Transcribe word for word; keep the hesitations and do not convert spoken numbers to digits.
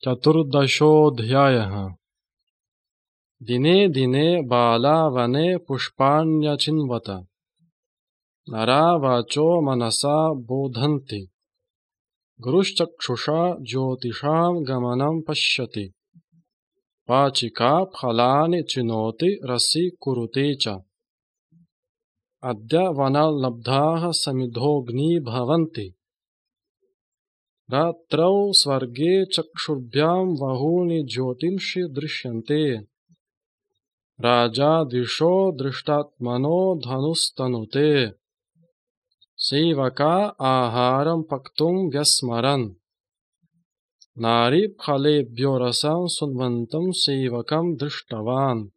चतुर्दशोऽध्यायः। दिने दिने बाला वने पुष्पाण्यचिन्वत। नरा वाचो मनसा बोधन्ति। गुरुश्चक्षुषा ज्योतिषां गमनं पश्यति। वाचिका फलानि चिनोति रसि कुरुते च। अद्य वनलब्धाः समिधोऽग्नी भवन्ति। रात्रौ स्वर्गे चक्षुर्भ्यां बहूनि ज्योतिंषि दृश्यन्ते। राजा दिशो दृष्टात्मनो धनुस्तनुते। सेवका आहारं पक्तुं व्यस्मरन्। नारी फलेभ्यो रसं सुन्वन्तं सेवकं दृष्टवान्।